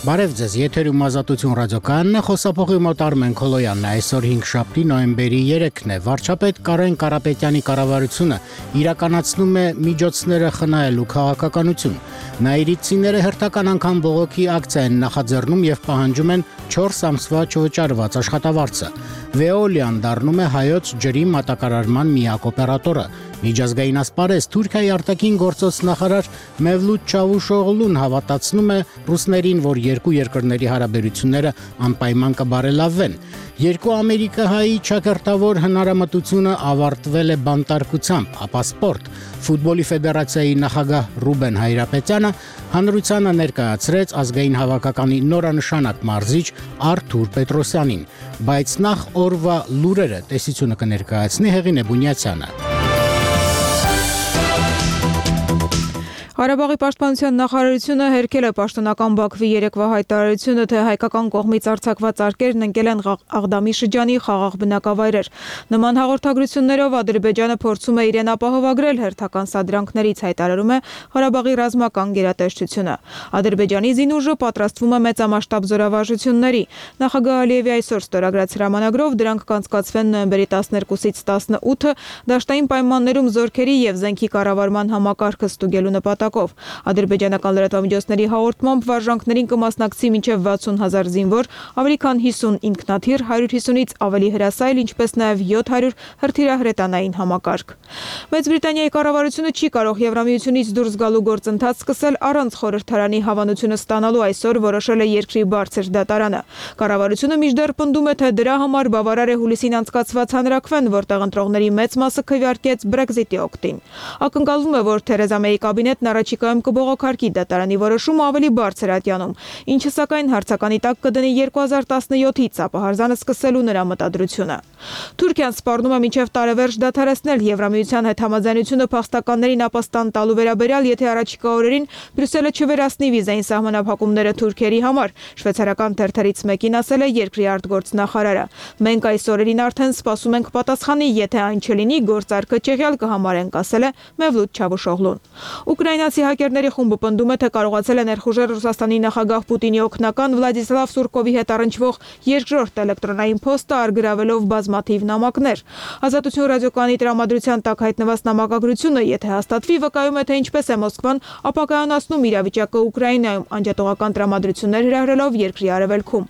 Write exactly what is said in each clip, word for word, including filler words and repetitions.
Բարև ձեզ, եթերում Ազատություն ռադիոկայանն է, խոսափողի մոտ Արմեն Քոլոյանն է, այսօր հինգշաբթի նոյեմբերի երեքն է, վարչապետ Կարեն Կարապետյանի կառավարությունը իրականացնում է միջոցները խնայելու քաղաքականություն։ Նաիրիտցիները հերթական անգամ բողոքի ակցիա են նախաձեռնում եւ պահանջում են չորս ամսվա չվճարված աշխատավարձը։ Veolian դառնում է հայոց ջրի մատակարարման միակ օպերատորը։ Միջազգային ասպարեզ Թուրքիայի արտաքին գործոց նախարար Մևլութ Չավուշօղլուն հավատացնում է ռուսներին, որ երկու երկրների հարաբերությունները անպայման կբարելավվեն։ Երկու ամերիկահայի ճակերտավոր հնարամտությունը ավարտվել է բանտարկությամբ, ապա սպորտ։ Ֆուտբոլի ֆեդերացիայի նախագահ Ռուբեն Հայրապետյանը հանրությանը ներկայացրեց ազգային հավաքականի նորանշանակ մարզիչ Արթուր Պետրոսյանին, բայց նախ օրվա լուրերը տեսությունը կներկայացնի Հեղինե Բունյացյանը։ Ղարաբաղի պաշտպանության նախարարությունը հերքել է պաշտոնական Բաքվի երեկվա հայտարարությունը, թե հայկական կողմից արձակված արկերն ընկել են Աղդամի շրջանի խաղաղ բնակավայրեր։ Նման հաղորդագրություններով Ադրբեջանը փորձում է իրեն ապահովագրել հերթական սադրանքներից, հայտարարում է Ղարաբաղի ռազմական գերատեսչությունը։ Ադրբեջանի զինուժը պատրաստվում է մեծամասշտաբ զորավարժությունների։ Նախագահ Ալիևի այսօր ստորագրած հրամանագրով դրանք կանցկացվեն նոյեմբերի տասներկուսից տասնութը դաշտային պայմաններում զորքերի եւ զենքի կառավարման համակարգը ստուգելու նպատակով։ Ադրբեջանական լրատվամիջոցների հաղորդմամբ վարժանքներին կմասնակցի մինչև վաթսուն հազար զինվոր, ավելի քան հիսուն ինքնաթիռ, հարյուր հիսունից ավելի հրասայլ, ինչպես նաև յոթ հարյուր հրթիռահրետանային համակարգ։ Մեծ Բրիտանիայի կառավարությունը չի կարող Եվրամիությունից դուրս գալու գործընթաց սկսել առանց խորհրդարանի հավանությունը ստանալու, այսօր որոշել է երկրի բարձր դատարանը։ Կառավարությունը մինչդեռ պնդում է, թե դրա համար բավարար է հուլիսին անցկացված հանրաքվեն, որտեղ ընտրողների մեծ մասը քվեարկեց Brexit-ի օգտին։ Ակնկալվում է, որ Թերեզա Մեյի կաբինետն առաջիկայում կբողոքարկի դատարանի որոշումը ավելի բարձր ատյանում, ինչը սակայն հարցականի տակ կդնի երկու հազար տասնյոթից ապահարզանը սկսելու նրա մտադրությունը։ Թուրքիան սպառնում է մինչև տարեվերջ դադարեցնել Եվրամիության հետ համաձայնությունը փախստականներին ապաստան տալու վերաբերյալ, եթե առաջիկա օրերին Բրյուսելը չվերացնի վիզային սահմանափակումները թուրքերի համար։ Շվեյցարական թերթերից մեկին ասել է երկրի արտգործնախարարը։ Մենք այս օրերին արդեն սպասում ենք պատասխանի, եթե այն չլինի, գործարքը ճեղյալ կհամարենք, ասել է Մևլութ Չավուշօղլուն։ Ուկրաինացի հակերների խումբը պնդում է, թե կարողացել է ներխուժել Ռուսաստանի նախագահ Պուտինի օգնական Վլադիսլավ Սուրկովի հետ առնչվող երկրորդ էլեկտրոնային փոստը, արգրավելով բազմաթիվ նամակներ։ Ազատություն ռադիոկայանի տրամադրության տակ հայտնված նամակագրությունը, եթե հաստատվի, վկայում է, թե ինչպես է Մոսկվան ապակայունացնում իրավիճակը Ուկրաինայում, անջատողական տրամադրություններ հրահրելով երկրի արևելքում։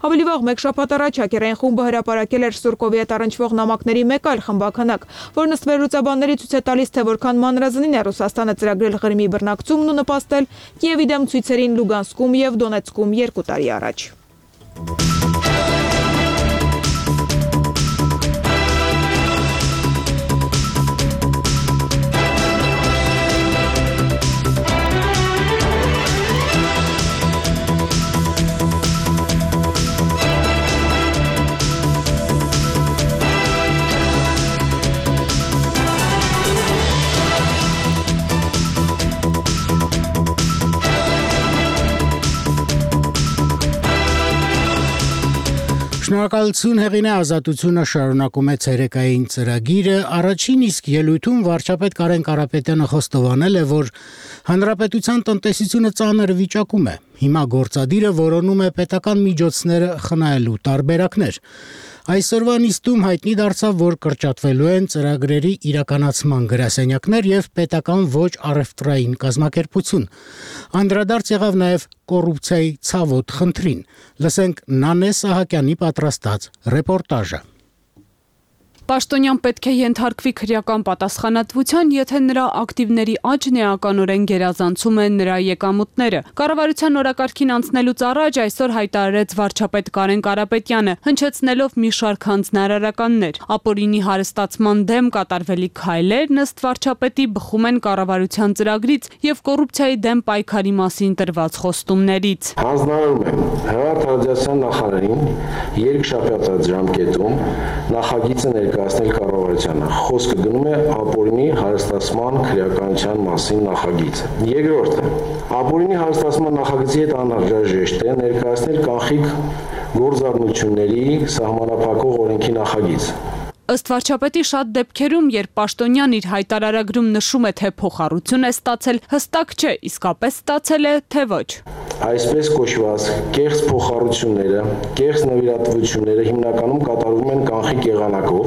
Ավելի վաղ մեկ շաբաթ առաջ հակերային խումբը հրապարակել էր Սուրկովի հետ առնչվող նամակների մեկ այլ խմբաքանակ, որն ըստ վերլուծաբանների ցույց է տալիս, թե որքան մանրազնին է Ռուսաստանը ծրագրել Ղրիմի բռնակցումն ու նպաստել Կիևի դեմ ցույցերին Լուգանսկում եւ Դոնեցկում երկու տարի առաջ։ Շնորհակալություն Հեղինե, Ազատությունը շարունակում է ցերեկային ծրագիրը։ Առաջին իսկ ելույթում վարչապետ Կարեն Կարապետյանը խոստովանել է, որ հանրապետության տնտեսությունը ծանր վիճակում է։ Հիմա գործադիրը որոնում է պետական միջոցները խնայելու տարբերակներ։ Այսօրվա նիստում հայտնի դարձավ, որ կրճատվելու են ծրագրերի իրականացման գրասենյակներ եւ պետական ոչ առևտրային կազմակերպություն։ Անդրադարձ եղավ նաեւ կոռուպցիայի ցավոտ խնդրին։ Լսենք Նանե Սահակյանի պատրաստած ռեպորտաժը։ Պաշտոնյան պետք է ենթարկվի քրեական պատասխանատվության, եթե նրա ակտիվների աճն էականորեն գերազանցում են նրա եկամուտները։ Կառավարության օրակարգին անցնելուց առաջ այսօր հայտարարեց վարչապետ Կարեն Կարապետյանը, հնչեցնելով մի շարք հանձնարարականներ։ Ապօրինի հարստացման դեմ կատարվելիք քայլերն ըստ վարչապետի բխում են կառավարության ծրագրից եւ կոռուպցիայի դեմ պայքարի մասին տրված խոստումներից։ Հանձնարարում եմ Հրատարակության նախարարին երկշաբթի ժամկետում նախագիծը ներկայացնել կառավարությանը։ Խոսքը գնում է ապօրինի հարստացման քրեականության մասին նախագիծը։ Երկրորդը, ապօրինի հարստացման նախագծի հետ անհրաժեշտ է ներկայացնել կանխիկ գործառնությունների սահմանափակող օրենքի նախագիծ։ Ըստ վարչապետի շատ դեպքերում, երբ պաշտոնյան իր հայտարարագրում նշում է, թե փոխառություն է ստացել, հստակ չէ իսկապես ստացել է, թե ոչ։ Այսպես կոչված կեղծ փոխառությունները, կեղծ նվիրատվությունները հիմնականում կատարվում են կանխիկ եղանակով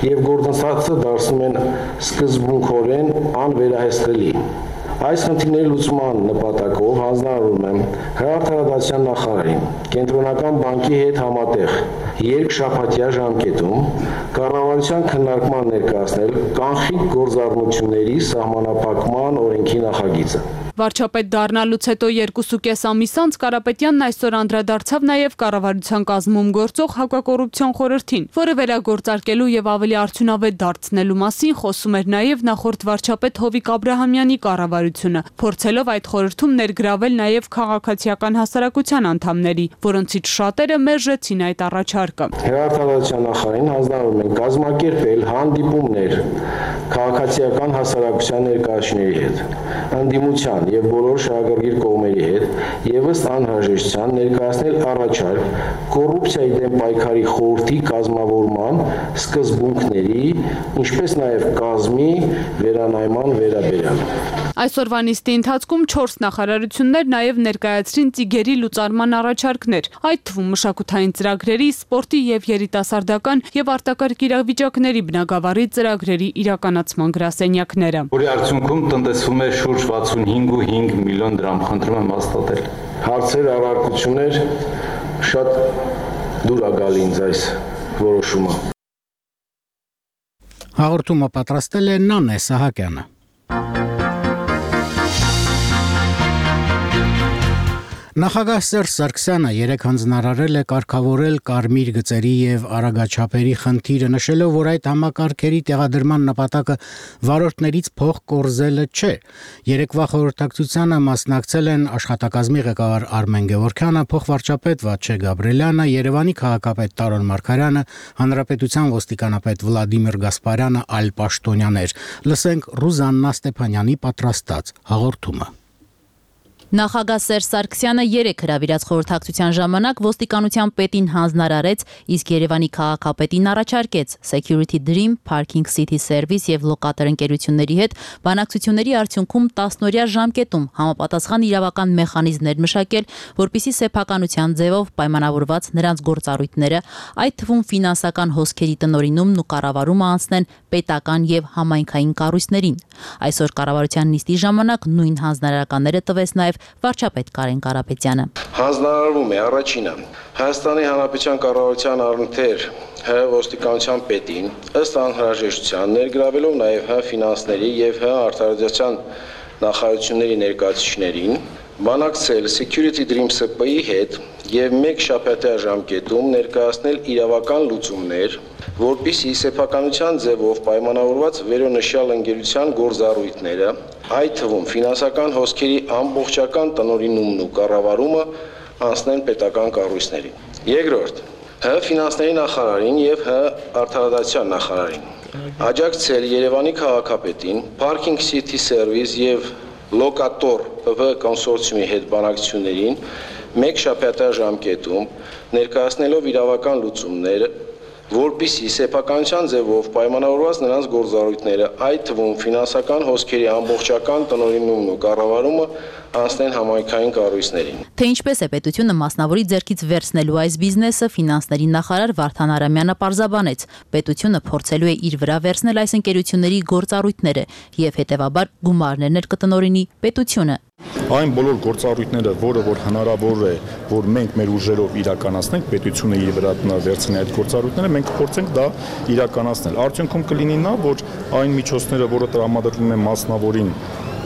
եւ գործընթացը դարձնում են սկզբունքորեն անվերահսկելի։ Այս խնդիրների լուծման նպատակով հանձնարարում եմ Հրատարակության նախարարին Կենտրոնական բանկի հետ համատեղ երկշաբաթյա ժամկետում կառավարության քննարկման ներկայացնել կանխիկ գործառնությունների սահմանափակման օրենքի նախագիծը։ Վարչապետ դառնալուց հետո երկուսուկես ամիս անց Կարապետյանն այսօր անդրադարձավ նաև կառավարության կազմում գործող հակակոռուպցիոն խորհրդին, որը վերագործարկելու եւ ավելի արդյունավետ դարձնելու մասին խոսում էր նաև նախորդ վարչապետ Հովիկ Աբրահամյանի կառավարությունը, փորձելով այդ խորհրդում ներգրավել նաև քաղաքացիական հասարակության անդամների, որոնցից շատերը մերժեցին այդ առաջարկը։ Հրատարակության նախարարին հանձնարարում են կազմակերպել հանդիպումներ քաղաքացիական հասարակության ներկայացուցիչների հետ, ընդդիմության եւ բոլոր շահագրգիռ կողմերի հետ եւ ըստ անհրաժեշտության ներկայացնել առաջարկ կոռուպցիայի դեմ պայքարի խորհրդի կազմավորման սկզբունքների, ինչպես նաեւ կազմի վերանայման վերաբերյալ։ Այսօրվա նիստի ընթացքում չորս նախարարություններ նաև ներկայացրին ծիգերի լուծարման առաջարկներ, այդ թվում մշակութային ծրագրերի, սպորտի եւ երիտասարդական եւ արտակարգ իրավիճակների բնագավառի ծրագրերի իրականացման գրասենյակները։ Որի արդյունքում տնտեսվում է շուրջ վաթսունհինգ կόμμα հինգ միլիոն դրամ, խնդրում եմ հաստատել։ Հարցեր, առարկություններ, շատ դուր է գալի ինձ այս որոշումը։ Հաղորդումը պատրաստել է Նանե Սահակյանը։ Նախագահ Սերժ Սարգսյանը երեկ հանձնարարել է կարգավորել կարմիր գծերի եւ արագաչափերի խնդիրը, նշելով, որ այդ համակարգերի տեղադրման նպատակը վարորդներից փող կորզելը չէ։ Երեկվա խորհրդակցությանը մասնակցել են աշխատակազմի ղեկավար Արմեն Գևորգյանը, փոխվարչապետ Վաչե Գաբրիելյանը, Երևանի քաղաքապետ Տարոն Մարգարյանը, Հանրապետության ոստիկանապետ Վլադիմիր Գասպարյանը, այլ պաշտոնյաներ։ Լսենք Ռուզաննա Ստեփանյանի պատրաստած հաղորդումը։ Նախագահ Սերժ Սարգսյանը երեկ հրավիրած խորհրդակցության ժամանակ ոստիկանության պետին հանձնարարեց, իսկ Երևանի քաղաքապետին առաջարկեց Security Dream, Parking City Service եւ լոկատոր ընկերությունների հետ բանակցությունների արդյունքում տասնօրյա ժամկետում համապատասխան իրավական մեխանիզմներ մշակել, որպիսի սեփականության ձևով պայմանավորված նրանց գործառույթները, այդ թվում ֆինանսական հոսքերի տնօրինումն ու կառավարումը անցնեն պետական եւ համայնքային կառույցներին։ Այսօր կառավարության նիստի ժամանակ նույն հանձնարարականները տվեց նաեւ վարչապետ Կարեն Կարապետյանը։ Հանձնարարվում է առաջինը Հայաստանի Հանրապետության կառավարության առընթեր Հ ոստիկանության պետին ըստ անհրաժեշտության ներգրավելով նաև Հ ֆինանսների եւ Հ արտադրության նախարարությունների ներկայացուցիչներին բանակցել Security Dream S P-ի հետ եւ մեկ շաբաթյա ժամկետում ներկայացնել իրավական լուծումներ, որպիսի սեփականության ձևով պայմանավորված վերոնշյալ ընկերության գործառույթները, այդ թվում ֆինանսական հոսքերի ամբողջական տնօրինումն ու կառավարումը անցնեն պետական կառույցներին։ Երկրորդ, Հ ֆինանսների նախարարին եւ Հ արտադրության նախարարին աջակցել Երևանի քաղաքապետին Parking City Service եւ Locator P V կոնսորցիումի հետ բանակցություններին մեկ շաբաթյա ժամկետում ներկայացնելով իրավական լուծումներ, որպիսի սեփականության ձևով պայմանավորված նրանց գործառույթները, այդ թվում ֆինանսական հոսքերի ամբողջական տնօրինումն ու կառավարումը անցնեն համայնքային կառույցներին։ Թե ինչպես է պետությունը մասնավորի ձեռքից վերցնելու այս բիզնեսը, ֆինանսների նախարար Վարդան Արամյանը պարզաբանեց, պետությունը փորձելու է իր վրա վերցնել այս ընկերությունների գործառույթները եւ հետեւաբար գումարներներ կտնօրինի պետությունը։ Այն բոլոր գործառույթները, որը որ հնարավոր է, որ մենք մեր ուժերով իրականացնենք, պետությունը իր վրա վերցնի այդ գործառույթները, մենք փորձենք դա իրականացնել։ Արդյունքում կլինի նա, որ այն միջոցները, որը տրամադրվում են մասնավորին,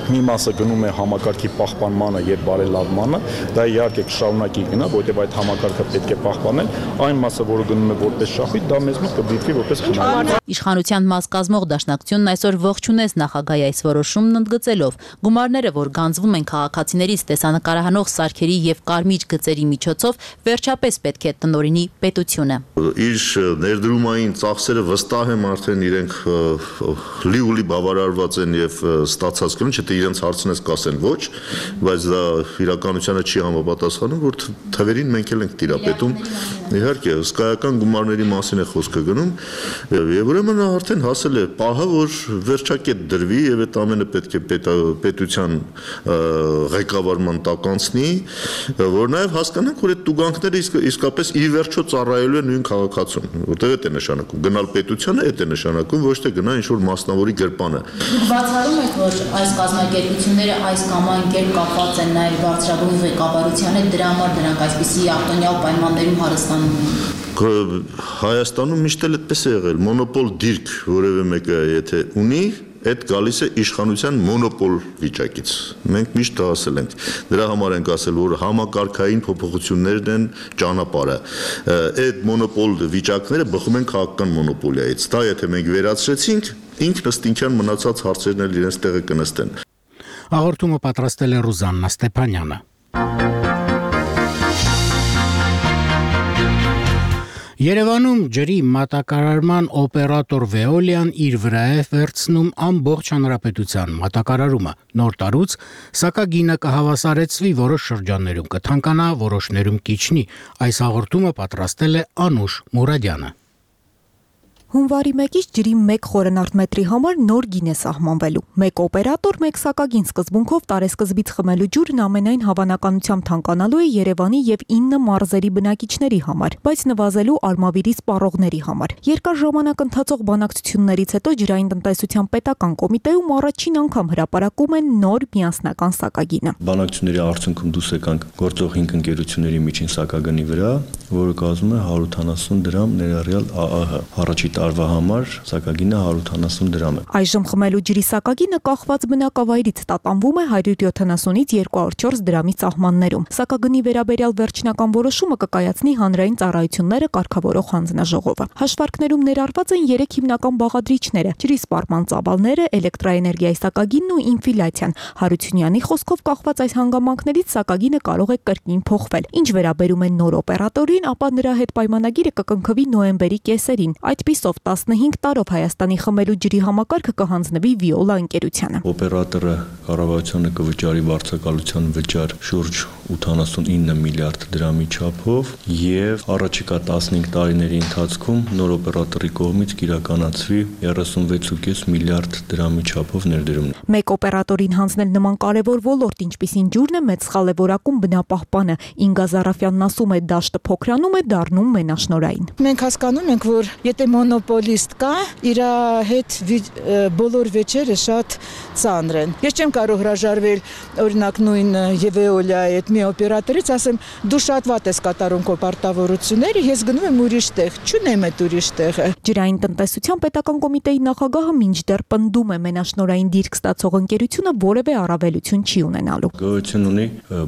մի մասը գնում է համակարգի պահպանմանը եւ բարելավմանը, դա իհարկե կշարունակի գնա, որովհետեւ այդ համակարգը պետք է պահպանել, այն մասը, որը գնում է որպես շախույթ, դա մեզ մոտ կդիտվի որպես խնայում։ Իշխանության մաս կազմող դաշնակցությունն այսօր ողջունեց նախագահի այս որոշումն ընդգծելով, գումարները, որ գանձվում են քաղաքացիներից տեսանկարահանող սարքերի եւ կարմիր գծերի միջոցով, վերջապես պետք է տնօրինի պետությունը։ Իր ներդրումային ծախսերը վստահ եմ արդեն իրենք լիուլի բավարարված են եւ ստացած կլինի, եթե իրենց հարցնես կասեն ոչ, բայց դա իրականությանը չի համապատասխանում, որ թվերին մենք էլ ենք տիրապետում։ Իհարկե, հսկայական գումարների մասին է խոսքը գնում, եւ ուրեմն արդեն հասել է պահը, որ վերջակետ դրվի եւ այդ ամենը պետք է պետության ղեկավարման տակ անցնի, որ նաեւ հասկանանք, որ այդ տուգանքները իսկապես ի վերջո ծառայելու են նույն քաղաքացուն, որտեղ է նշանակում գնալ պետությանը, այդ է նշանակում, ոչ թե գնալ ինչ-որ մասնավորի գրպանը։ Բացառում եք, որ այս կազմակերպությունները այս կամ այն կերպ կապված են նաև բարձրագույն ղեկավարության հետ, դրա համար դրանք այսպիսի արտոնյալ պայմաններում հարստանում են։ Հայաստանում միշտ էլ այդպես է եղել, մոնոպոլ դիրք որևէ մեկը եթե ունի, այդ գալիս է իշխանության մոնոպոլ վիճակից։ Մենք միշտ ասել ենք, դրա համար ենք ասել, որ համակարգային փոփոխություններն են ճանապարհը։ Այդ մոնոպոլ վիճակները բխում են քաղաքական մոնոպոլիայից։ Դա եթե մենք վերացրեցինք, ինքնըստինքյան մնացած հարցերն էլ իրենց տեղը կնստեն։ Հաղորդումը պատրաստել է Ռուզաննա Ստեփանյանը։ Երևանում ջրի մատակարարման օպերատոր Veolia-ն իր վրա է վերցնում ամբողջ հանրապետության մատակարարումը։ Նոր տարուց սակագինը կհավասարեցվի որոշ շրջաններում կթանկանա, որոշներում կիջնի։ Այս հաղորդումը պատրաստել է Անուշ Մուրադյանը։ Հունվարի մեկից ջրի մեկ խորանարդ համար նոր գին է սահմանվելու։ Մեկ օպերատոր, մեկ սակագին սկզբունքով տարեսկզբից խմելու ջուրն ամենայն հավանականությամբ թանկանալու է Երևանի եւ ինը մարզերի բնակիչների համար, բայց նվազելու Արմավիրի սպառողների համար։ Երկար ժամանակ ընթացող բանակցություններից հետո ջրային տնտեսության պետական կոմիտեում առաջին անգամ հրապարակում են նոր միասնական սակագինը։ Բանակցությունների արդյունքում դուրս եկանք գործող հինգ ընկերությունների միջին սակագնի վրա, որը կազմում է հարյուր ութանասուն դրամ ներառյալ ԱԱՀ։ Առաջի տարվա համար սակագինը հարյուր ութանասուն դրամ է։ Այժմ խմելու ջրի սակագինը կախված բնակավայրից տատանվում է հարյուր յոթանասունից երկու հարյուր չորս դրամի սահմաններում։ Սակագնի վերաբերյալ վերջնական որոշումը կկայացնի հանրային ծառայությունները կարգավորող հանձնաժողովը։ Հաշվարկներում ներառված են երեք հիմնական բաղադրիչները՝ ջրի սպառման ծավալները, էլեկտրաէներգիայի սակագինն ու ինֆլյացիան։ Հարությունյանի խոսքով կախված այս հանգամանքներից սակագինը կարող է կրկին փոխվել։ Ինչ վերաբերում է նոր օպերատորին, ապա նրա հետ պայմանագիրը կկնքվի նոյեմբերի կեսերին։ Այդպիսով տասնհինգ տարով Հայաստանի խմելու ջրի համակարգը կհանձնվի Veolia ընկերությանը։ Օպերատորը կառավարությունը կվճարի վարձակալության վճար շուրջ ութանասունինը միլիարդ դրամի չափով եւ առաջիկա տասնհինգ տարիների ընթացքում նոր օպերատորի կողմից կիրականացվի երեսունվեց կόμμα պենս միլիարդ դրամի չափով ներդրումներ։ Մեկ օպերատորին հանձնել նման կարևոր ոլորտ, ինչպիսին ջուրն է, մեծ սխալ է որակում բնապահպանը։ Ինգա Զարաֆյանն ասում է, դաշտը փոքրանում է, դառնում մենաշնորային։ Մենք հասկանում ենք, որ եթե մոնոպոլիստ կա, իր հետ բոլոր վեճերը շատ ծանր են։ Ես չեմ կարող հրաժարվել օրինակ նույն Veolia-ի այդ մի օպերատորից, ասեմ, դու շատ վատ ես կատարում քո պարտավորությունները, ես գնում եմ ուրիշ տեղ, չունեմ այդ ուրիշ տեղը։ Ջրային տնտեսության պետական կոմիտեի նախագահը մինչդեռ պնդում է մենաշնորային դիրք ստացող ընկերությունը որևէ առավելություն չի ունենալու։ Գոյություն ունի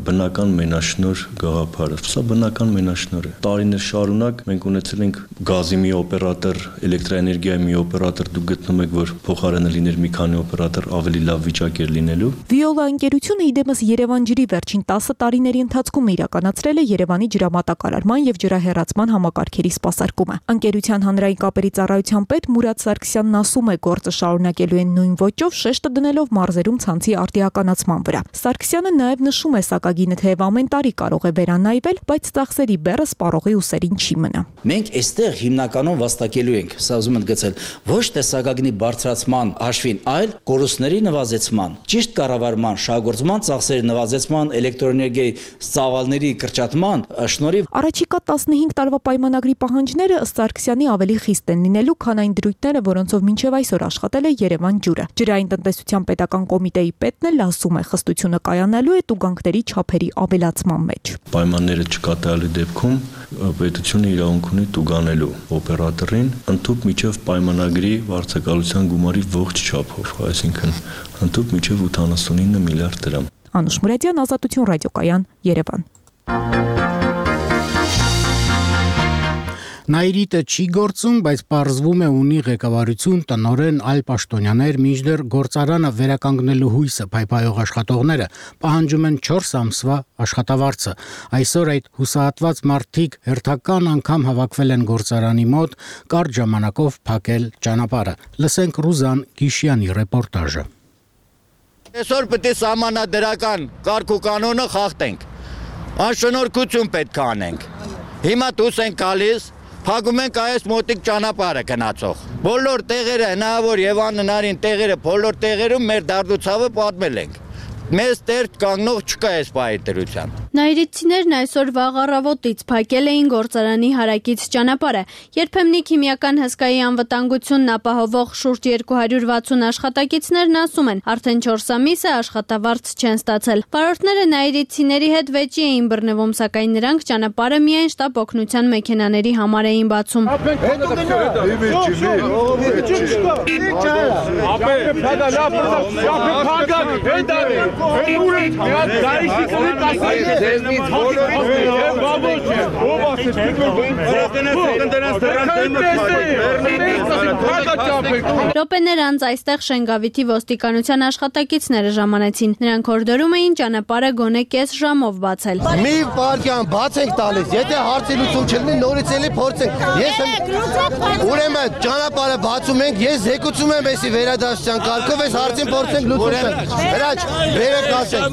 բնական մենաշնոր գաղափարը։ Սա բնական մենաշնոր է։ Տարիներ շարունակ մենք ունեցել ենք գազի մի օպերատոր, էլեկտրաէներգիայի մի օպերատոր, դուք գտնում եք, որ փոխարենը լիներ մի քանի օպերատոր, ավելի լավ վիճակ էր լինելու։ Veolia ընկերությունը իդեմս Երևան ջրի վերջին տասը տարիների ընթացքում իրականացրել է Երևանի ջրամատակարարման եւ ջրահեռացման համակարգերի սպասարկումը։ Ընկերության հանրային կապերի ծառայության պետ Մուրադ Սարգսյանն ասում է, գործը շարունակելու են նույն ոճով, շեշտը դնելով մարզերում ցանցի արտիականացման վրա։ Սարգսյանը նաեւ նշում է, սակագինը թեև ամեն տարի կարող է վերանայվել, բայց ծախսերի բեռը սպառողի ուսերին չի մնա։ Մենք այստեղ հիմնականում վաստակելու ենք, սա ուզում եմ գծել, ոչ թե սակագնի բարձրացման հաշվին, այլ կորուստների նվազեցման, ճիշտ կառավարման, շահգործման ծախսերի նվազեցման, էլեկտրոէներգիայի ծավալների կրճատման շնորհիվ։ Առաջիկա տասնհինգ տարվա պայմանագրի պահանջները ըստ Սարգսյանի ավելի խիստ են լինելու, քան այն դրույթները, որոնցով մինչև այսօր աշխատել է Երևան ջուրը։ Ջրային տնտեսության պետական կոմիտեի պետն էլ ասում է, խստությունը կայանալու է տուգանքների չափերի ավելացման մեջ։ Պայմանները չկատարելու դեպքում պետությունը իրավունք ունի տուգանելու օպերատորին ընդཐུպ միջև պայմանագրի վարձակալության գումարի ողջ չափով, այսինքն ընդཐུպ միջև ութանասունինը միլիարդ դրամ։ Անուշ Մուրադյան, Ազատություն ռադիոկայան, Երևան։ Նայրիտը չի գործում, բայց պարզվում է ունի ղեկավարություն, տնօրեն, այլ պաշտոնյաներ, մինչդեռ գործարանը վերականգնելու հույսը փայփայող աշխատողները պահանջում են չորս ամսվա աշխատավարձը։ Այսօր այդ հուսահատված մարդիկ հերթական անգամ հավաքվել են գործարանի մոտ, կարճ ժամանակով փակել ճանապարհը։ Լսենք Ռուզան Գիշյանի ռեպորտաժը։ Այսօր պետք է սահմանադրական կարգ ու կանոնը խախտենք։ Անշնորհքություն պետք է անենք։ Հիմա դուրս ենք գալիս, փակում ենք այս մոտիկ ճանապարհը գնացող։ Բոլոր տեղերը հնարավոր եւ անհնարին տեղերը բոլոր տեղերում մեր դարդուցավը պատմել ենք։ Մեզ տեր կանգնող չկա այս պայթերության։ Նայիրիցիներն այսօր վաղ առավոտից փակել էին գործարանի հարակից ճանապարհը։ Երբեմնի քիմիական հսկայի անվտանգությունն ապահովող շուրջ երկու հարյուր վաթսուն աշխատակիցներն ասում են, արդեն չորս ամիս է աշխատավարձ չեն ստացել։ Վարորդները նայիրիցիների հետ վեճի էին բռնվում, սակայն նրանք ճանապարհը միայն շտապ օգնության մեքենաների համար էին բացում։ Րոպեներ անց այստեղ Շենգավիթի ոստիկանության աշխատակիցները ժամանեցին։ Նրանք հորդորում էին ճանապարհը գոնե կես ժամով բացել։ Մի վայրկյան բաց ենք տալիս, եթե հարցի լուծում չլինի, նորից էլի փորձենք։ Ես ուրեմն ճանապարհը բացում ենք, ես զեկուցում եմ էսի վերադասության կարգով, այս հարցին փորձենք լուծում։ Հրաչ, վերեք ասենք։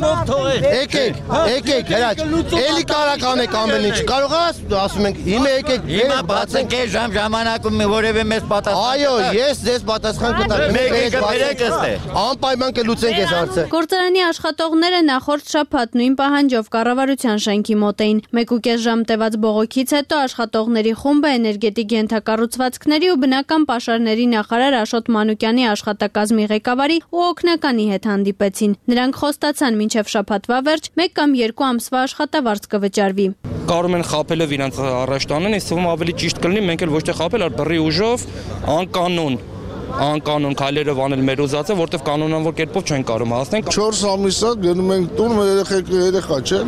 Եկեք, եկեք, հրաչ։ Էլի կարակ անեք ամեն ինչ։ Կարող ես, ասում ենք, հիմա եկեք, հիմա բացենք այս ժամ ժամանակում որևէ մեզ պատասխան։ Այո, ես ձեզ պատասխան կտամ։ Մեկ վերեք ըստե։ Անպայման կլուծենք այս հարցը։ Գործարանի աշխատողները նախորդ շաբաթ նույն պահանջով կառավարության շենքի մոտ էին։ Մեկ ու կես ժամ տևած բողոքից հետո աշխատողների խումբը էներգետիկ ենթակառուցվածքների ու բնական պաշարների նախարար Աշոտ Մանուկյանի աշխատակազմի ղեկավարի ու օգնականի հետ հանդիպեցին։ Նրանք խոստացան մինչև շաբաթվա վերջ մեկ կամ երկու ամսվա աշխատավարձ կվճարվի։ Կարող են խաբելով իրանց առաջ տանեն, այս թվում ավելի ճիշտ կլինի, մենք էլ ոչ թե խաբել, այլ բռի ուժով անկանոն անկանոն քայլերով անել մեր ուզածը, որտեվ կանոնավոր կերպով չեն կարող հասնել։ չորս ամիս է գնում ենք տուն, մեր երեխեքը երեխա չեն։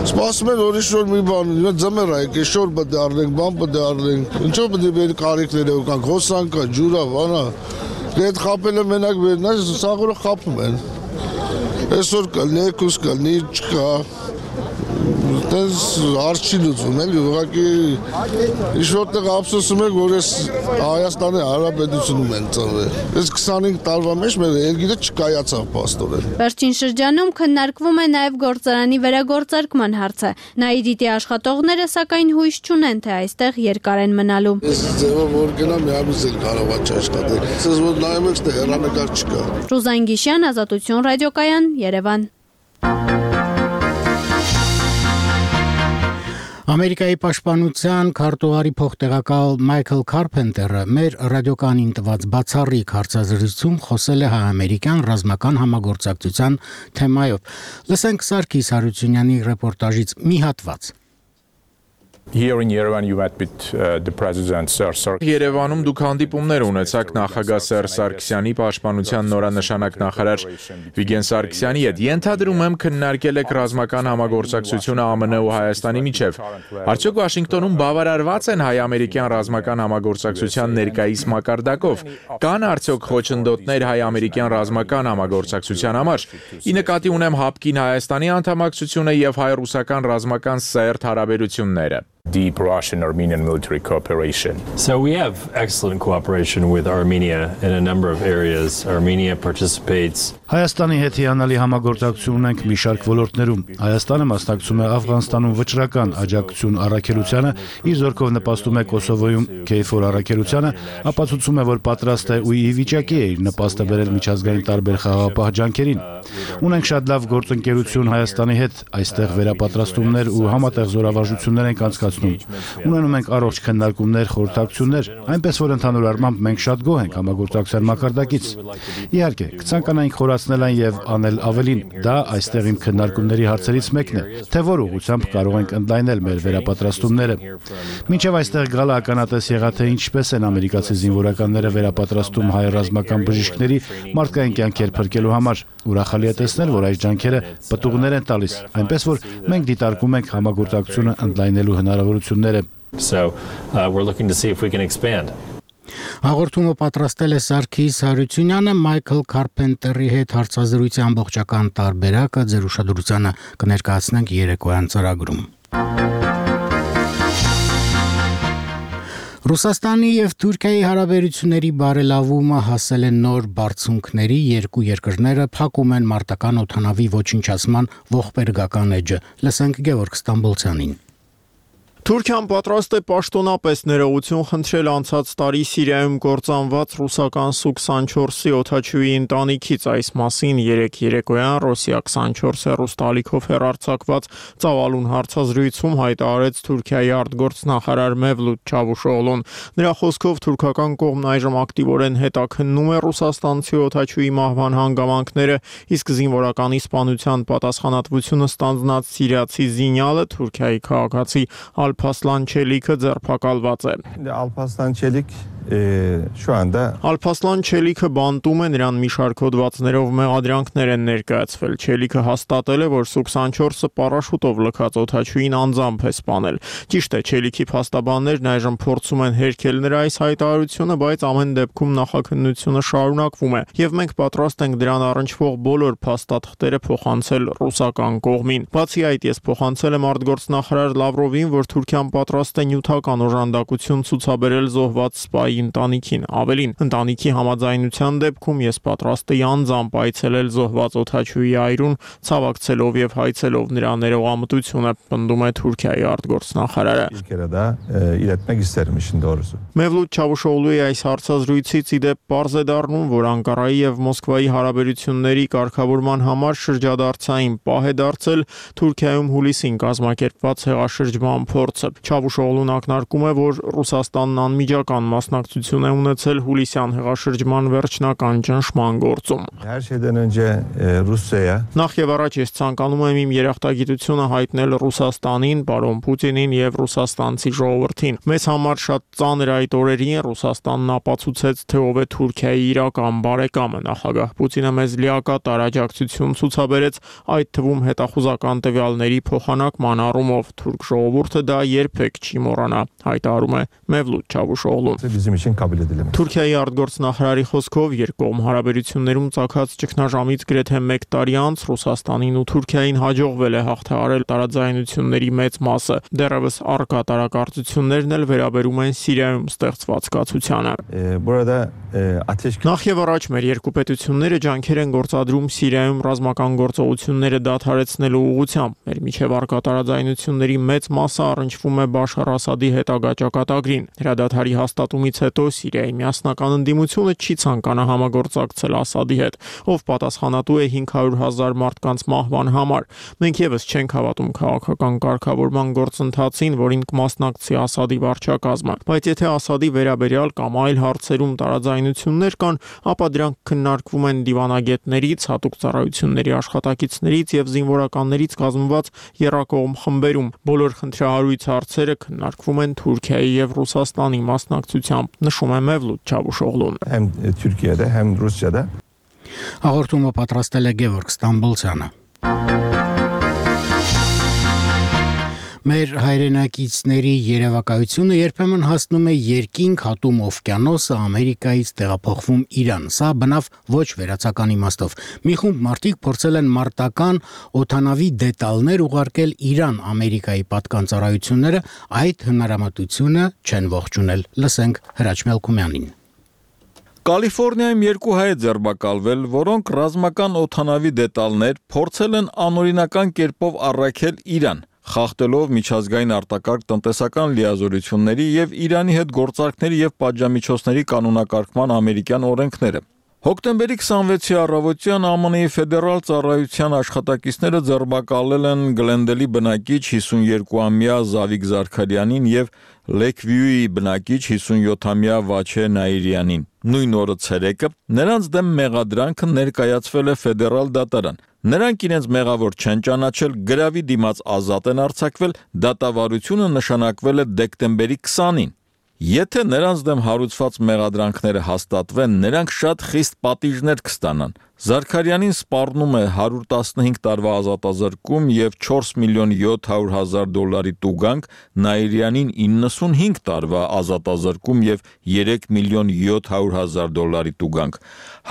Սպասում են ուրիշ որ մի բան, ձմեռ է, եկե շոր պետք է առնենք, բան պետք է առնենք։ Ինչով պետք է մեր կարիքները ուկանք, հոսանք կա, ջուր է, բան է։ Այդ խաբելը մենակ վերնա, սաղորը խաբում են։ Այսօր կլնի, եկուս կլնի, չկա։ Տենց հարց չի լուծվում, էլի ուղղակի ինչ-որտեղ ափսոսում եք, որ ես Հայաստանի Հանրապետությունում են ծնվել։ Այս քսանհինգ տարվա մեջ մեր երկիրը չկայացավ պաստորեն։ Վերջին շրջանում քննարկվում է նաև գործարանի վերագործարկման հարցը։ Նայիրիտի աշխատողները սակայն հույս չունեն, թե այստեղ երկար են մնալու։ Ես ձևով որ գնամ, մի ամիս էլ կարող է չաշխատել։ Ասես որ նայում եք, թե հեռանկար չկա։ Ռուզան Գիշյան, Ազատություն ռադիոկայան, Երևան։ Ամերիկայի պաշտպանության քարտուղարի փոխտեղակալ Մայքլ Քարփենտերը մեր ռադիոկայանին տված բացառիկ հարցազրույցում խոսել է հայ-ամերիկյան ռազմական համագործակցության թեմայով։ Լսենք Սարգիս Հարությունյանի ռեպորտաժից մի հատված։ Here in Yerevan you met with uh, the president Sir Sarkisyan. Երևանում դուք հանդիպումներ ունեցաք նախագահ Սեր Սարգսյանի պաշտպանության նորանշանակ նախարար Վիգեն Սարգսյանի հետ։ Ենթադրում եմ քննարկել եք ռազմական համագործակցությունը ԱՄՆ ու Հայաստանի միջև։ Արդյոք Վաշինգտոնում բավարարված են հայ-ամերիկյան ռազմական համագործակցության ներկայիս մակարդակով։ Կան արդյոք խոչընդոտներ հայ-ամերիկյան ռազմական համագործակցության համար։ Ի նկատի ունեմ հապկին Հայաստանի անդամակցությունը եւ հայ-ռուսական ռազմական սերտ հարաբերությունները։ Deep Russian-Armenian military cooperation. So we have excellent cooperation with Armenia in a number of areas. Armenia participates. Հայաստանի հետ հիանալի համագործակցություն ունենք մի շարք ոլորտներում։ Հայաստանը մասնակցում է Աֆղանստանում վճռական աջակցություն առաքելությանը, իր զորքով նպաստում է Կոսովոյում քեյֆոր առաքելությանը, ապացուցում է, որ պատրաստ է ու ի վիճակի է իր նպաստը բերել միջազգային տարբեր խաղաղապահ ջանքերին։ Ունենք շատ լավ գործընկերություն Հայաստանի հետ, այստեղ վերապատրաստումներ ու համատեղ զորավարժություններ ենք անցկացնում։ Ունենում ենք առողջ քննարկումներ, խորհրդակցություններ, այնպես որ ընդհանուր առմամբ մենք շատ գոհ ենք համագործակցության մակարդակից։ Իհարկե, կցանկանայինք խորացնել այն եւ անել ավելին, դա այստեղ իմ քննարկումների հարցերից մեկն է, թե որ ուղղությամբ կարող ենք ընդլայնել մեր վերապատրաստումները։ Մինչև այստեղ գալը ականատես եղա, թե ինչպես են ամերիկացի զինվորականները վերապատրաստում հայ ռազմական բժիշկների մարդկային կյանքեր փրկելու համար։ Ուրախալի է տեսնել, որ այս ջանքերը պտուղներ են տալիս, այնպես որ մենք դիտարկում ենք համագործակցությունը ընդլայնելու հնարավորությունները։ So uh, we're looking to see if we can expand. Հաղորդումը պատրաստել է Սարգիս Հարությունյանը, Մայքլ Քարփենտերի հետ հարցազրույցի ամբողջական տարբերակը ձեր ուշադրությանը կներկայացնենք երեկոյան ծրագրում։ Ռուսաստանի եւ Թուրքիայի հարաբերությունների բարելավումը հասել է նոր բարձունքների, երկու երկրները փակում են մարտական օդանավի ոչնչացման ողբերգական էջը։ Լսենք Գևորգ Ստամբոլցյանին։ Թուրքիան պատրաստ է պաշտոնապես ներողություն խնդրել անցած տարի Սիրիայում կործանված ռուսական Սու քսանչորսի օդաչուի ընտանիքից։ Այս մասին երեկ երեկոյան Ռոսիա քսանչորս հեռուստալիքով հեռարձակված ծավալուն հարցազրույցում հայտարարեց Թուրքիայի արտգործնախարար Մևլութ Չավուշօղլուն։ Նրա խոսքով թուրքական կողմն այժմ ակտիվորեն հետաքննում է ռուսաստանցի օդաչուի մահվան հանգամանքները, իսկ զինվորականի սպանության պատասխանատվությունը ստանձնած սիրիացի զինյալը Թուրքիայի քաղաքացի Alpaslan Çelik'e ձերբակալված է։ Alpaslan Çelik şu anda Alpaslan Çelik'ը բանտում է, նրան մի շարք հոդվածներով մեղադրանքներ են ներկայացվել։ Çelik'ը հաստատել է, որ Սու քսանչորսը պարաշուտով լքած օդաչուին անձամբ է սպանել։ Ճիշտ է, Çelik'i փաստաբաններն այժմ փորձում են հերքել նրա այս հայտարարությունը, բայց ամեն դեպքում նախաքննությունը շարունակվում է, եւ մենք պատրաստ ենք դրան առնչվող բոլոր փաստաթղթերը փոխանցել ռուսական կողմին։ Բացի այդ, ես փոխանցել եմ արտգործնախարար Լավրովին, որ Թուրքիան պատրաստ է նյութական օժանդակություն ցուցաբերել զոհված սպայի ընտանիքին։ Ավելին, ընտանիքի համաձայնության դեպքում ես պատրաստ եմ անձամբ այցելել զոհված օդաչուի այրուն, ցավակցելով եւ հայցելով նրա ներողամտությունը, պնդում է Թուրքիայի արտգործնախարարը։ Մևլութ Չավուշօղլուի այս հարցազրույցից ի դեպ պարզ է դառնում, որ Անկարայի եւ Մոսկվայի հարաբերությունների կարգավորման համար շրջադարձային պահ է դարձել Թուրքիայում հուլիսին կազմակերպված հեղաշրջման փորձը։ Չավուշօղլուն ակնարկում է, որ Ռուսաստանն անմիջական մասնակցություն է ունեցել հուլիսյան հեղաշրջման վերջնական ճնշման գործում։ Her şeyden önce Rusya'ya Նախ եւ առաջ ես ցանկանում եմ իմ երախտագիտությունը հայտնել Ռուսաստանին, պարոն Պուտինին եւ ռուսաստանցի ժողովրդին։ Մեզ համար շատ ծանր այդ օրերին Ռուսաստանն ապացուցեց, թե ով է Թուրքիայի իրական բարեկամը։ Նախագահ Պուտինը մեզ լիակատար աջակցություն ցուցաբերեց, այդ թվում հետախուզական տվյալների փոխանակման առումով։ Թուրք ժողովուրդը դա երբեք չի մոռանա, հայտարարում է Մևլութ Չավուշօղլուն։ Թուրքիայի արտգործնախարարի խոսքով երկկողմ հարաբերություններում ցակած ճգնաժամից գրեթե մեկ տարի անց Ռուսաստանին ու Թուրքիային հաջողվել է հաղթահարել տարաձայնությունների մեծ մասը։ Դեռևս առկա տարակարծություններն էլ վերաբերում են Սիրիայում ստեղծված կացությանը։ Նախ եւ առաջ մեր երկու պետությունները ջանքեր են գործադրում Սիրիայում ռազմական գործողությունները դադարեցնելու ուղղությամբ։ Մեր միջև առկա տարաձայնությունների մեծ մասը առնչվում է Բաշար Ասադի հետագա ճակատագրին։ Հրադադարի հաստատումից հետո Սիրիայի միասնական ընդդիմությունը չի ցանկանա համագործակցել Ասադի հետ, ով պատասխանատու է հինգ հարյուր հազար մարդկանց մահվան համար։ Մենք եւս չենք հավատում քաղաքական կարգավորման գործընթացին, որին կմասնակցի Ասադի վարչակազմը, բայց եթե Ասադի վերաբերյալ կամ այլ հարցերում տարաձայնություններ կան, ապա դրանք քննարկվում են դիվանագետներից, հատուկ ծառայությունների աշխատակիցներից եւ զինվորականներից կազմված եռակողմ խմբերում։ Բոլոր խնդրահարույց հարցերը քննարկվում են Թուրքիայի եւ Ռուսաստանի մասնակցությամբ, նշում է Մևլութ Չավուշօղլուն։ Hem Türkiye'de hem Rusya'da Հաղորդումը պատրաստել է Գևորգ Ստամբոլցյանը։ Մեր հայրենակիցների երևակայությունը երբեմն հասնում է երկինք, հատում օվկիանոսը, Ամերիկայից տեղափոխվում Իրան։ Սա բնավ ոչ վերացական իմաստով։ Մի խումբ մարդիկ փորձել են մարտական օդանավի դետալներ ուղարկել Իրան Ամերիկայի պատկան ծառայությունները, այդ հնարամտությունը չեն ողջունել։ Լսենք Հրաչ Մելքումյանին։ Կալիֆոռնիայում երկու հայ ձերբակալվել, որոնք ռազմական օդանավի դետալներ փորձել են անօրինական կերպով առաքել Իրան, խախտելով միջազգային արտակարգ տնտեսական լիազորությունների եւ Իրանի հետ գործարքների եւ պատժամիջոցների կանոնակարգման ամերիկյան օրենքները։ Հոկտեմբերի քսանվեցի առավոտյան ԱՄՆ-ի ֆեդերալ ծառայության աշխատակիցները ձերբակալել են Գլենդելի բնակիչ հիսունյոթամյա Զավիկ Զարքարյանին եւ Լեքվյուի բնակիչ հիսունյոթամյա Վաչե Նաիրյանին։ Նույն օրը ցերեկը նրանց դեմ մեղադրանքը ներկայացվել է ֆեդերալ դատարան։ Նրանք իրենց մեղավոր չեն ճանաչել, գրավի դիմաց ազատ են արձակվել, դատավարությունը նշանակվել է դեկտեմբերի քսանին։ Եթե նրանց դեմ հարուցված մեղադրանքները հաստատվեն, նրանք շատ խիստ պատիժներ կստանան։ Զարքարյանին սպառնում է հարյուր տասնհինգ տարվա ազատազրկում և չորս միլիոն յոթ հարյուր հազար դոլարի տուգանք, Նաիրյանին իննսունհինգ տարվա ազատազրկում և երեք միլիոն յոթ հարյուր հազար դոլարի տուգանք։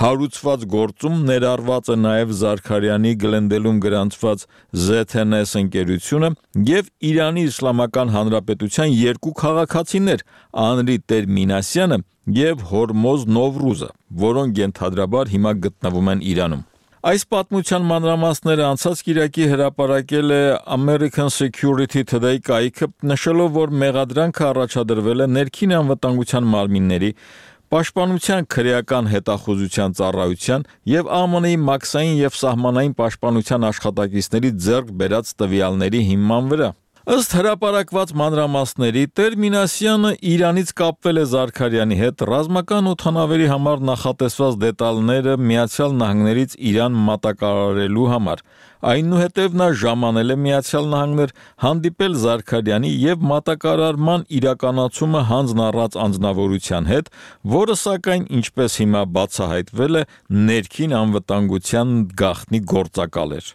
Հարուցված գործում ներառված է նաև Զարքարյանի Գլենդելում գրանցված զեդ են էս ընկերությունը և Իրանի Իսլամական Հանրապետության երկու քաղաքացիներ՝ Անրի Տեր-Մինասյանը և Հորմոզ Նովրուզը, որոնք ենթադրաբար հիմա գտնվում են Իրանում։ Այս պատմության մանրամասները անցած կիրակի հրապարակել է American Security Today կայքը, նշելով, որ մեղադրանքը առաջադրվել է ներքին անվտանգության մարմինների, Պաշտպանության քրեական հետախուզության ծառայության և Α M N-ի մաքսային և սահմանային պաշտպանության աշխատակիցների ձեռք բերած տվյալների հիման վրա։ Ըստ հրապարակված մանրամասների, Տեր-Մինասյանը Իրանից կապվել է Զարքարյանի հետ ռազմական օդանավերի համար նախատեսված դետալները Միացյալ Նահանգներից Իրան մատակարարելու համար։ Այնուհետև նա ժամանել է Միացյալ Նահանգներ, հանդիպել Զարքարյանի և մատակարարման իրականացումը հանձն առած անձնավորության հետ, որը սակայն, ինչպես հիմա բացահայտվել է, ներքին անվտանգության գաղտնի գործակալ էր։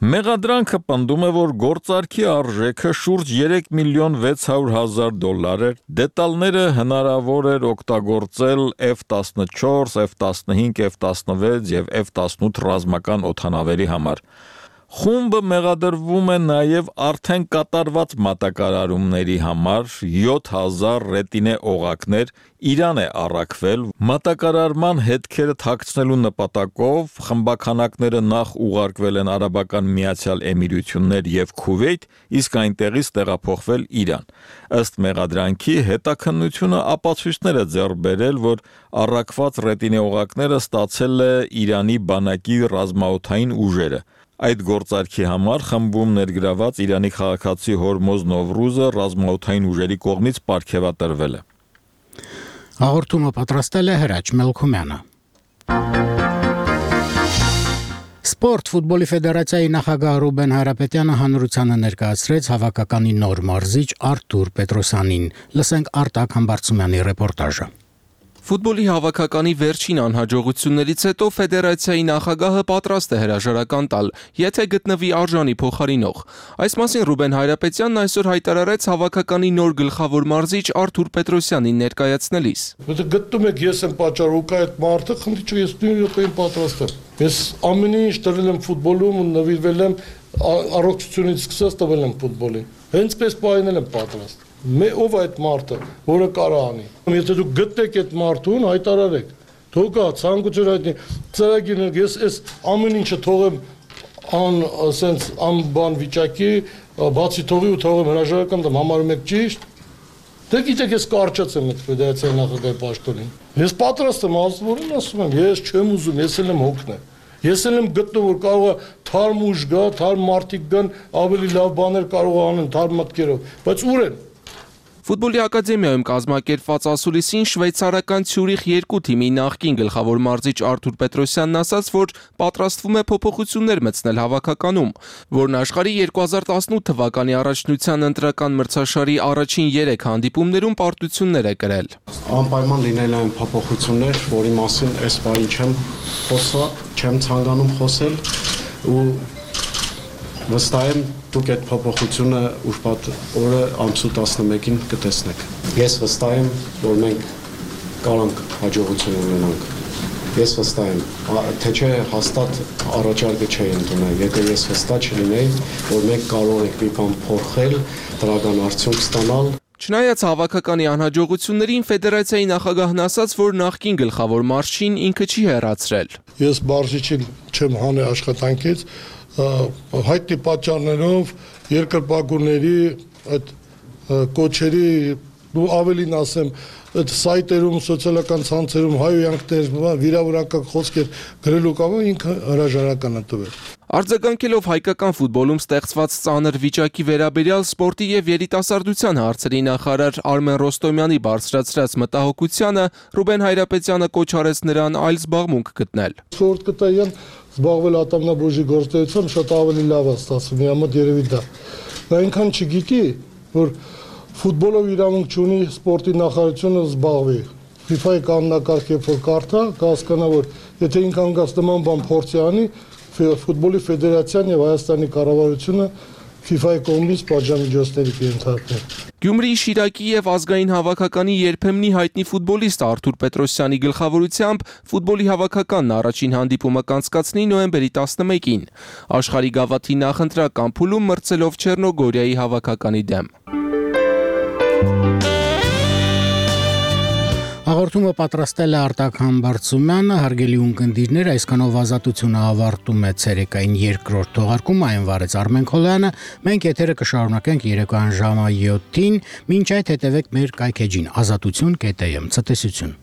Մեղադրանքը պնդում է, որ գործարքի արժեքը շուրջ երեք միլիոն վեց հարյուր հազար դոլար էր, դետալները հնարավոր էր օգտագործել F տասնչորս, F տասնհինգ, F տասնվեց և F տասնութ ռազմական օդանավերի համար։ Խումբը մեղադրվում է նաև արդեն կատարված մատակարարումների համար յոթ հազար ռետինե օղակներ Իրան է առաքվել, մատակարարման հետքերը թաքցնելու նպատակով խմբաքանակները նախ ուղարկվել են Արաբական Միացյալ Էմիրություններ և Քուվեյթ, իսկ այնտեղից տեղափոխվել Իրան։ Ըստ մեղադրանքի հետաքննությունը ապացույցներ է ձեռք բերել, որ առաքված ռետինե օղակները ստացել է Իրանի բանակի ռազմաօդային ուժերը։ Այդ գործարքի համար խմբում ներգրաված Իրանի քաղաքացի Հորմոզ Նովրուզը ռազմաօդային ուժերի կողմից պարգևատրվել է։ Հաղորդումը պատրաստել է Հրաչ Մելքումյանը։ Սպորտ ֆուտբոլի ֆեդերացիայի նախագահ Ռուբեն Հայրապետյանը հանրությանը ներկայացրեց հավաքականի նոր մարզիչ Արթուր Պետրոսյանին։ Լսենք Արտակ Համբարձումյանի ռեպորտաժը։ Ֆուտբոլի հավաքականի վերջին անհաջողություններից հետո ֆեդերացիայի նախագահը պատրաստ է հրաժարական տալ, եթե գտնվի արժանի փոխարինող։ Այս մասին Ռուբեն Հայրապետյանն այսօր հայտարարեց հավաքականի նոր գլխավոր մարզիչ Արթուր Պետրոսյանին ներկայացնելիս։ Եթե գտնում եք ես եմ պատճառ ու կա այդ մարդը, խնդրի չէ, ես նույն րոպեին պատրաստ եմ։ Ես ամեն ինչ տվել եմ ֆուտբոլում ու նվիրվել եմ առողջությունից սկսած տվել եմ ֆուտբոլին։ Հենց պես պայնել եմ պատրաստ։ Ով այդ մարդը, որը կարա անի։ Եթե դուք գտնեք այդ մարդուն, հայտարարեք։ Թողա ցանկություն հայտնի, ծրագիրներ, ես այս ամեն ինչը թողեմ ան, ասենց անբան վիճակի, բացի թողի ու թողեմ հրաժարական դեմ համարում եք ճիշտ։ Դե գիտեք, ես կարճած եմ այդ ֆեդերացիայի նախագահի պաշտոնին։ Ես պատրաստ եմ, ասում ասում եմ, ես չեմ ուզում, ես էլ եմ հոգնել։ Ես էլ եմ գտնում, որ կարող է թարմ ուժ գա, թարմ մարդիկ գան, ավելի լավ բաներ կարող անեն թարմ մտքերով, բայց ուր են։ Ֆուտբոլի ակադեմիայում կազմակերպված ասուլիսին շվեյցարական Ցյուրիխ երկու թիմի նախկին գլխավոր մարզիչ Արթուր Պետրոսյանն ասաց, որ պատրաստվում է փոփոխություններ մտցնել հավաքականում, որն աշխարհի երկու հազար տասնութ թվականի առաջնության ընտրական մրցաշարի առաջին երեք հանդիպումներում պարտություններ է կրել։ Անպայման լինել են փոփոխություններ, որի մասին այս բանի չեմ խոսա, չեմ ցանկանում խոսել ու վստահ եմ դուք այդ փոփոխությունը ուրբաթ օրը ամսու տասնմեկին կտեսնեք։ Ես վստահ եմ, որ մենք կարանք հաջողություն ունենանք։ Ես վստահ եմ, թե չէ հաստատ առաջարկը չէի ընդունել, եթե ես վստահ չլինեի, որ մենք կարող ենք մի բան փոխել, դրական արդյունք ստանալ։ Չնայած հավաքականի անհաջողություններին ֆեդերացիայի նախագահն ասաց, որ նախկին գլխավոր մարզչին ինքը չի հեռացրել։ Ես մարզիչին չեմ հանել աշխատանքից, հայտնի պատճառներով երկրպագուների այդ կոչերի ու ավելին ասեմ այդ սայտերում սոցիալական ցանցերում հայոյանքներ վիրավորական խոսքեր գրելու կամը ինքը հրաժարական է տվել։ Արձագանքելով հայկական ֆուտբոլում ստեղծված ծանր վիճակի վերաբերյալ սպորտի եւ երիտասարդության հարցերի նախարար Արմեն Ռոստոմյանի բարձրացրած մտահոգությանը Ռուբեն Հայրապետյանը կոչ արեց նրան այլ զբաղմունք գտնել։ Սպորտ կտայան զբաղվել ատամնաբուժի գործունեությամբ շատ ավելի լավ է ստացվում, իմ մոտ երևի դա։ Նա այնքան չգիտի, որ ֆուտբոլով իրավունք չունի սպորտի նախարարությունը զբաղվի։ FIFA-ի կանոնակարգ երբ որ կարդա, կհասկանա, որ եթե ինքան գաց նման բան փորձի անի, ֆուտբոլի ֆեդերացիան եւ Հայաստանի կառավարությունը FIFA-ի կողմից պատժամիջոցների կենթարկվեն։ Գյումրիի Շիրակի եւ ազգային հավաքականի երբեմնի հայտնի ֆուտբոլիստ Արթուր Պետրոսյանի գլխավորությամբ ֆուտբոլի հավաքականն առաջին հանդիպումը կանցկացնի նոյեմբերի տասնմեկին։ Աշխարհի գավաթի նախընտրական փուլում մրցելով Չեռնոգորիայի հավաքականի դեմ։ Հաղորդումը պատրաստել է Արտակ Համբարձումյանը, հարգելի ունկնդիրներ, այսքանով ազատությունը ավարտում է ցերեկային երկրորդ թողարկումը, այն վարեց Արմեն Քոլյանը, մենք եթերը կշարունակենք երեկոյան ժամը յոթին, մինչ այդ հետևեք մեր կայքեջին ազատություն կետ եմ, ցտեսություն։